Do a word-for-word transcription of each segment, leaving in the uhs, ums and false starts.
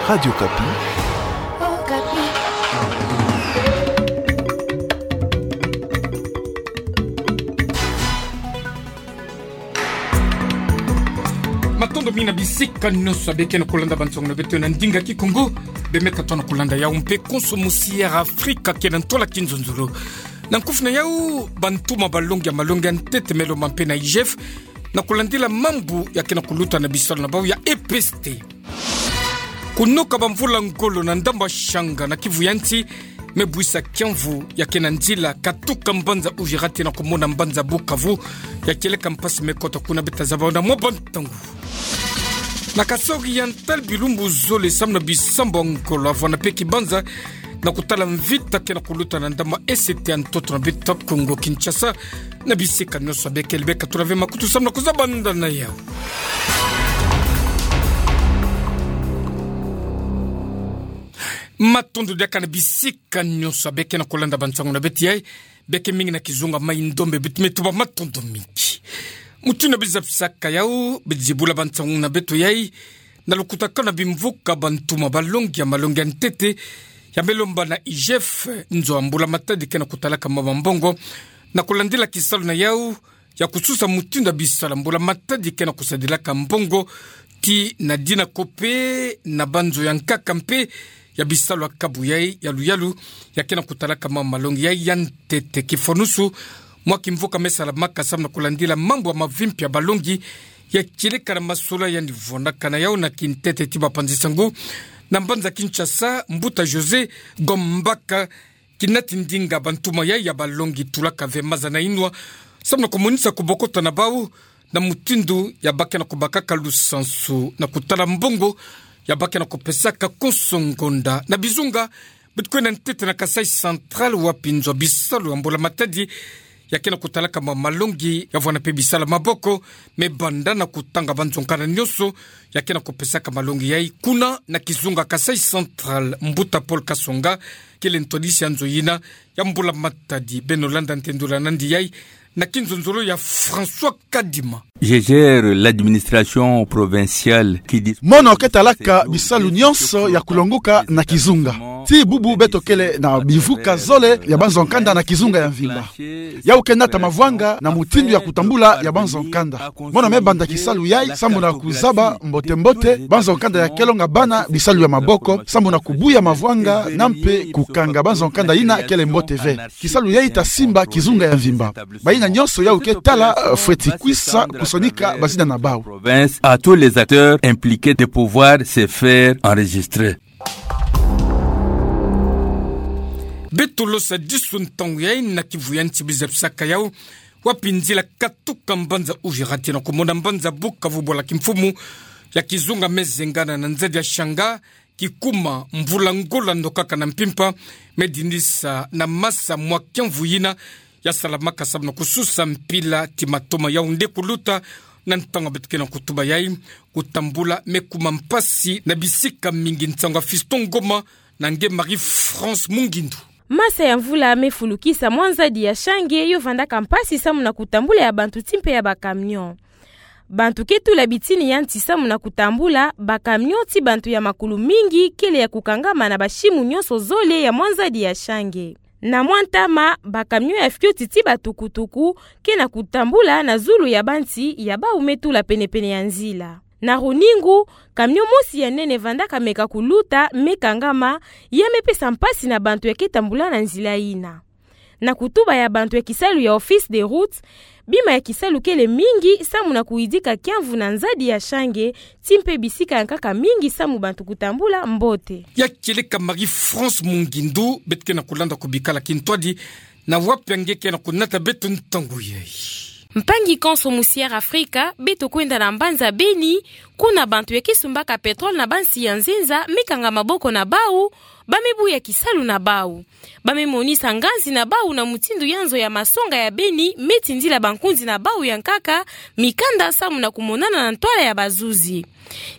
Radio Okapi. Matondo mingi na bisika nyonso beke na kulanda bansangu na beto na ndinga Kikongo. Bemeka tona kulanda yau mpe konso musi ya Afrika ke na ntwala kinzonzolo. Na nkufi na yau, bantuma balongi ya malongi ya ntete me lomba mpe na I G F na kulandila mambu ya ke na kuluta na bisalu na bau ya E P S T. Kunoka bamvula ngolo na ndambu ya Shanga na Kivu ya nsi me buisa kiamvu ya ke na nzila katuka mbanza Uvira tii na kumona mbanza Bukavu, ya kieleka mpasi me kota kuna, beta zaba na mwa bantangu. Na Kasaï Oriental, bilumbu zole samu na bisambu ya ngolo, avwanda mpe kibanza na kutala mvita ke na kuluta na ndambu ya E C T ya ntoto na beto Kongo Kinshasa. Na bisika nyonso beke, beka tula ve makutu samu na kuzabanda na yau. Matondo diaka na bisika nyonso beke na kulanda bansangu na beto yai. Beke mingi na kizunga mai Ndombe, beto me tuba matondo mingi. Mutindu biza bisaka yau, beti zibula bansangu na beto yai na lukutakanu ya bimvuka bantuma balongi ya malongi ya ntete, ya me lomba na I G F, nzo ya mbula-matadi ke na kutalaka mama mbongo, na kulandila kisalu na yau ya kususa mutindu ya bisala mbula-matadi ke na kusadilaka mbongo, tii na dina ko mpe na banzo ya nkaka mpe ya bisalu ya kabu yai ya luyalu, ya ke na kutalaka mama malongi yai ya ntete. Kifonusu, mwa kimvuka me salamaka samu na kulandila mambu ya mavimpi ya balongi, ya kieleka na masolo yandi vwandaka na yau na kintete tii bapanzi sangu na mbanza Kinshasa, mbuta José Gombaka, kinati ndinga bantuma yai ya balongi tulaka ve maza na inwa samu na kumonisa kubokota na bau na mutindu ya bake na kubakaka lusansu na kutala mbongo ya bake na kupesaka konso ngonda. Na Bizunga, beto kwenda ntete na Kasaï Central, wapi nzo ya bisalu ya mbula-matadi ya ke na kutalaka mama malongi, ya vwanda mpe bisalu ya maboko, me banda na kutanga banzo nkanda nyonso ya ke na kupesaka malongi yai kuna na kizunga Kasaï Central. Mbuta Paul Kasonga, kele ntwadisi ya nzo yina ya mbula-matadi. Beno landa ntendula nandi yai na kinzonzolo ya François Kadima. Je gère l'administration provinciale qui dis- Mono ke talaka bisalu nyonso ya kulonguka na kizunga. Tii bubu beto kele na bimvuka zole ya banzo nkanda na kizunga ya mvimba. Yau ke nata mavwanga na mutindu ya kutambula ya banzo nkanda. Mono me banda kisalu yai samu na kuzaba mbote-mbote banzo nkanda ya ke longa bana bisalu ya maboko, samu na kubuya mavwanga na mpe kukanga banzo nkanda yina kele mbote ve. Kisalu yai ta simba kizunga ya mvimba. Bayina nyonso yau ke tala, eh, fweti kwisa kusonika bazina na bau. Province, à tous les acteurs impliqués de pouvoir se faire enregistrer. Beto losa disu ntangu yai na Kivu ya nsi, biza bisaka yau, wapi nzila katuka mbanza Uvira tii na kumona mbanza Bukavu, bwala kimfumu ya kizunga me zengana na nzadi ya Shanga, kikuma mvula ngolo nokaka na mpimpa, me dinisa na masa mwa kiamvu yina ya salamaka samu na kususa mpila tii matoma yau nde kuluta na ntangu beto ke na kutuba yai. Kutambula me kuma mpasi na bisika mingi. Nsangu ya Fiston Ngoma na nge Marie-France Mungindu. Masa ya mvula me fulukisa mwa nzadi ya Shange yo vandaka mpasi samu na kutambula ya bantu tii mpe ya bacamion. Bantu ke tula bitini ya nti samu na kutambula, bacamion tii bantu ya makulu mingi kele ya kukangama na basimu nyonso zole ya mwa nzadi ya Shange. Na mwa ntama, bacamion ya fioti tii batukutuku ke na kutambula na zulu ya banti ya bau me tula penepene ya nzila. Na runingu, camion mosi ya nene vandaka meka kuluta, me kangama, ya me pesa mpasi na bantu ya ke tambula na nzila yina. Na kutuba ya bantu ya kisalu ya Office des Routes, bima ya kisalu kele mingi samu na kuyidika kiamvu na nzadi ya Shange, tii mpe bisika ya nkaka mingi samu bantu kutambula mbote. Ya kieleka Marie-France Mungindu, beto ke na kulanda kubikala kintwadi, na wapi nge ke na kunata beto ntangu yai. Mpangi konso musi ya Afrika, beto kwenda na mbanza Beni, kuna bantu ya ke sumbaka pétrole na bansi ya nzenza me kanga maboko na bau, ba me buya kisalu na bau. Ba me monisa nganzi na bau na mutindu ya nzo ya masonga ya Beni me tindila bankunzi na bau ya nkaka mikanda samu na kumonana na ntwala ya bazuzi.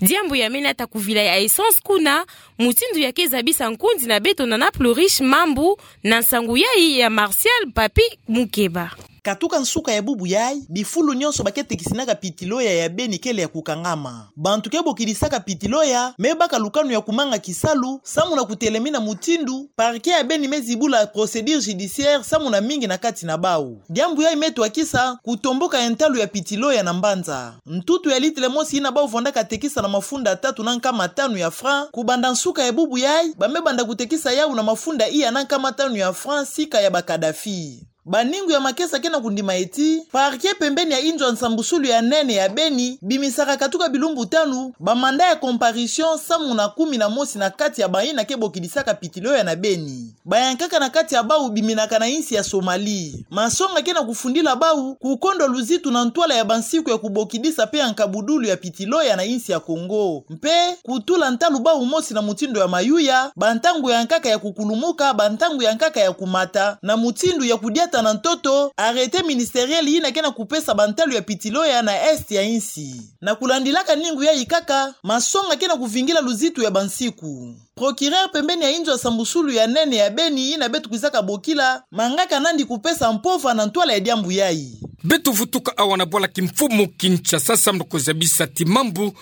Diambu ya me nata kuvila ya essence kuna, mutindu ya ke zabisa nkunzi na beto na Napluris Mambu, na nsangu yai ya Martial Papi Mukeba. Katuka nsuka ya bubu yayi, bifulu nyonso ba ke tekisinaka pitiloya ya beni kele ya kukangama. Bantu ke bokidisaka pitiloya me baka lukanu ya kumanga kisalu, samu na kutelemina mutindu parquet ya beni me zibula procédure judiciaire samu na mingi na kati na bawu. Diambu yayi me twakisa kutomboka ya ntalu ya pitiloya na mbanza. Ntutu ya litile mosi yina bawu vwandaka tekisa na mafunda tatu na nkama tanu ya franc, kubanda nsuka ya bubu yayi, ba me banda kutekisa yawu na mafunda iya na nkama tanu ya franc sika ya ba Kadhafi. Baningu ya makesa ke na kundima ti, parquet pembeni ya inzo ya nsambusulu ya nene ya beni, bimisaka katuka bilumbu tanu, ba mandat ya comparution samu na kumi na mosi na kati ya bayina ke bokidisaka pitiloya na beni. Bayankaka na kati ya bawu biminaka na insi ya Somalie. Masonga ke na kufundila bawu kukondwa luzitu na ntwala ya bansiku ya kubokidisa pe ya nkabudulu ya pitiloya na insi ya Kongo. Mpe kutula ntalu bawu mosi na mutindu ya mayuya, bantangu ya nkaka ya kukulumuka, bantangu ya nkaka ya kumata, na mutindu ya kudiata na ntoto, arrêté ministériel yina ke na kupesa bantalu ya pitiloya na est ya insi. Na kulandilaka ningu yayi kaka, masonga ke na kuvingila luzitu ya bansiku. Procureur pembeni ya inzo ya nsambusulu ya nene ya beni yina beto kwizaka bokila, mangaka nandi kupesa mpova na ntwala ya diambu yayi. Beto vutuka awa na bwala kimfumu Kinshasa samu na kuzabisa ti mambu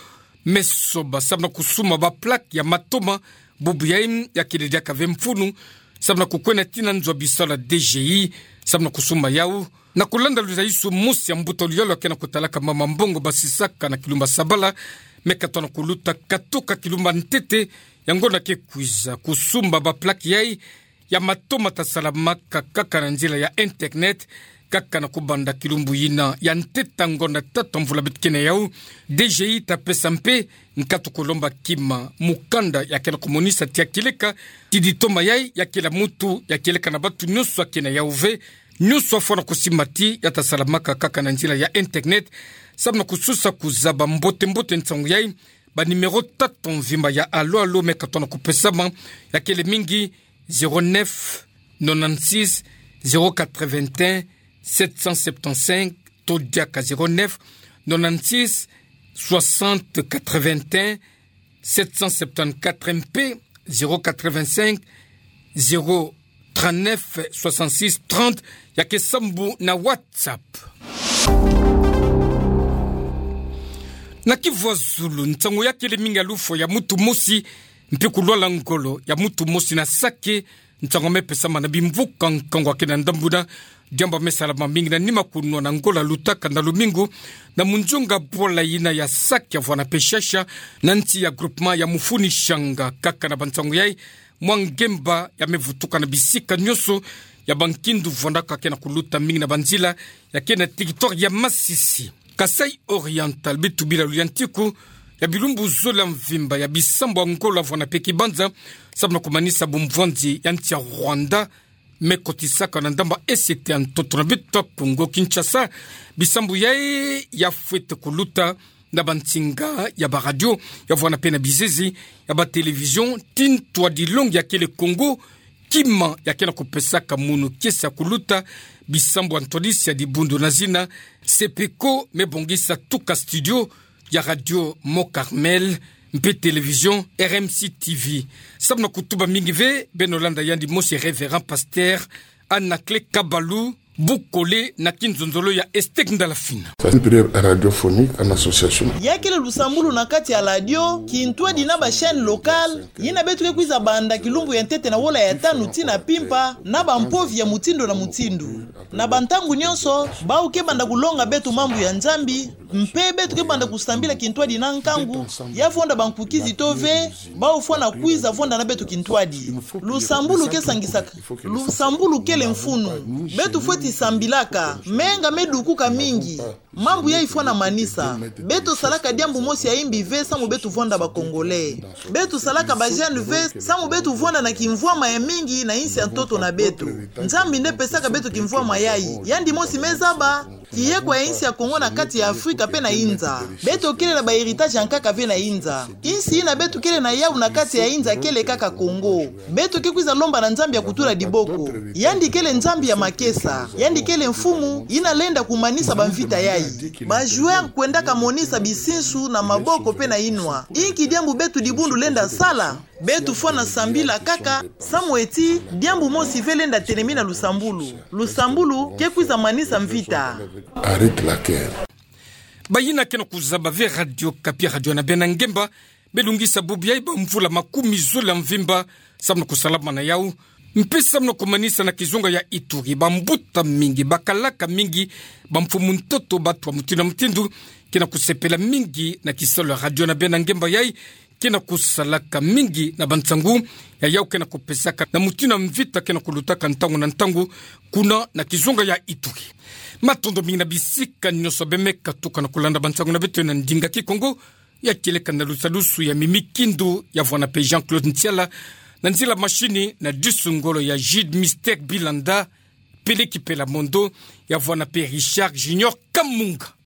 me soba samu na kusumba ba plaque ya matoma, bubu yayi ya kele diaka ve mfunu, samu na kukwenda tii na nzo ya bisalu ya D G I, samu na kusumba yawu. Na kulanda luzaisu, mosi ya mbuta luyalu ya ke na kutalaka mama mbongo basisaka na kilumbu ya sabala, me katona kuluta katuka kilumbu ya ntete ya ngonda ke kwiza, kusumba ba plaque yayi ya matoma ta salamaka kaka na nzila ya internet, kaka na kubanda kilumbu yina ya ntete ya ngonda tatu ya mvula beto ke na yawu, D G I ta pesa mpe nkatu kulomba kima mukanda ya ke na kumonisa ti ya kieleka ti ditoma yayi ya kiela mutu ya kieleka na bantu nyonso ya ke na yawu ve, nyonso afwana kusimba ti ya ta salamaka kaka na nzila ya internet, samu na kusosa kuzaba mbote-mbote nsangu yayi. Ba numéro tata mvimba ya alo-alo me katona kupesama ya kele mingi: zéro neuf, nonante-six, zéro quatre-vingt-un, sept cent septante-cinq, to diaka zéro neuf, nonante-six, soixante, quatre-vingt-un, sept cent septante-quatre, mpe zéro quatre-vingt-cinq, zéro trente-neuf, soixante-six, trente, ya ke sambu na WhatsApp. Na kivwa zulu, nsangu ya kele mingi ya lufwa ya mutu mosi, mpe kulwala ngolo ya mutu mosi na Sake, nsangu me pesama na bimvuka nkangu ya ke na ndambu na diambu me salama mingi na nima kunwana ngolo ya lutaka na lumingu, na munzunga bwala yina ya Sake ya vwanda pe shasha, na nsi ya groupement ya Mufuni Shanga. Kaka na bansangu yayi, mwa ngemba ya me vutuka na bisika nyonso ya bankindu vwandaka ke na kuluta mingi na banzila ya ke na territoire ya Masisi. Kasai Oriental, beto bila luyantiku ya bilumbu zole ya mvimba ya bisambu ya ngolo ya vwanda pe kibanza, samu na kumanisa bumvwanzi ya nsi ya Rwanda me kotisaka na ndambu ya est ya ntoto na beto ya Kongo Kinshasa. Bisambu yayi ya fwete kuluta na bansinga ya baradio, ya vwanda pe na bizezi ya batelevision, ti ntwadi longi ya kele Kongo, kima ya ke na kupesaka munu kiese ya kuluta bisambu ya ntwadisi ya dibundu na zina Sepeko, me bongisa tuka studio ya radio Mont Carmel mpe television R M C T V. Samu na kutuba mingi ve, beno landa yandi mosi Révérend Pasteur Anaclet Kabalu Bukole na kinzonzolo ya Estec Ndalafina. C'est une prière radiophonique en association. Ya kele lusambulu na kati ya radio, kintwadi na ba chaîne locale, yina beto ke kwiza banda kilumbu ya ntete na wola ya tanu tii na mpimpa, na bampovi ya mutindu na mutindu. Na bantangu nyonso, bawu ke banda kulonga beto mambu ya Nzambi, mpe beto ke banda kusambila kintwadi na nkangu, ya vonda bankukizi to ve, bawu fwana kwiza vonda na beto kintwadi. Lusambulu ke sangisaka, lusambulu kele mfunu. Beto fweti sambilaka, menga me dukuka mingi. Mambu yayi fwana manisa. Beto salaka diambu mosi ya imbi ve samu beto vonda ba Congolais. Beto salaka ba jeunes ve samu beto vonda na kimvwama ya mingi na insi ya ntoto na beto. Nzambi nde pesaka beto kimvwama yayi. Yandi mosi me zaba, Kiyekwa ya insi ya Kongo na kati ya Afrika pe na inza. Beto kele na ba héritage ya nkaka ve na inza. Insi ina beto kele na yau na kati ya inza kele kaka Kongo. Beto ke kwiza lomba na Nzambi ya kutula diboko. Yandi kele Nzambi ya makesa. Yandi kele mfumu ina lenda kumanisa bamvita yai. Ba joueurs kwendaka monisa bisinsu na maboko pe na inwa. Inki diambu beto dibundu lenda sala? Beto fwana sambila kaka, samu ti diambu mosi ve lenda telemina lusambulu. Lusambulu ke kwiza manisa mvita. Arrête la guerre. Bayina ke na kuzaba ve Radio Okapi, Radio na bena ngemba, belungisa bubu yai bamvula makumi zole ya mvimba, samu na kusalama na yau. Mpe samu na kumanisa na kizunga ya Ituri, bambuta mingi, bakalaka mingi, bamfumu ntoto, batu ya mutindu na mutindu, ke na kusepela mingi na kisalu ya Radio na bena ngemba yai, ke na kusalaka mingi na bansangu ya yau ke na kupesaka na mutindu ya mvita ke na kulutaka ntangu na ntangu kuna na kizunga ya Ituri. Matondo mingi na bisika nyonso beme katuka na kulanda bansangu na beto na ndinga Kikongo, ya kieleka na lusalusu ya Mimi Kindu, ya vwanda mpe Jean-Claude Ntiala, na nzila mashini na dusungolo ya Jude Mystère Bilanda, Peleki Pela Mondo, ya vwanda mpe Richard Junior Kamunga.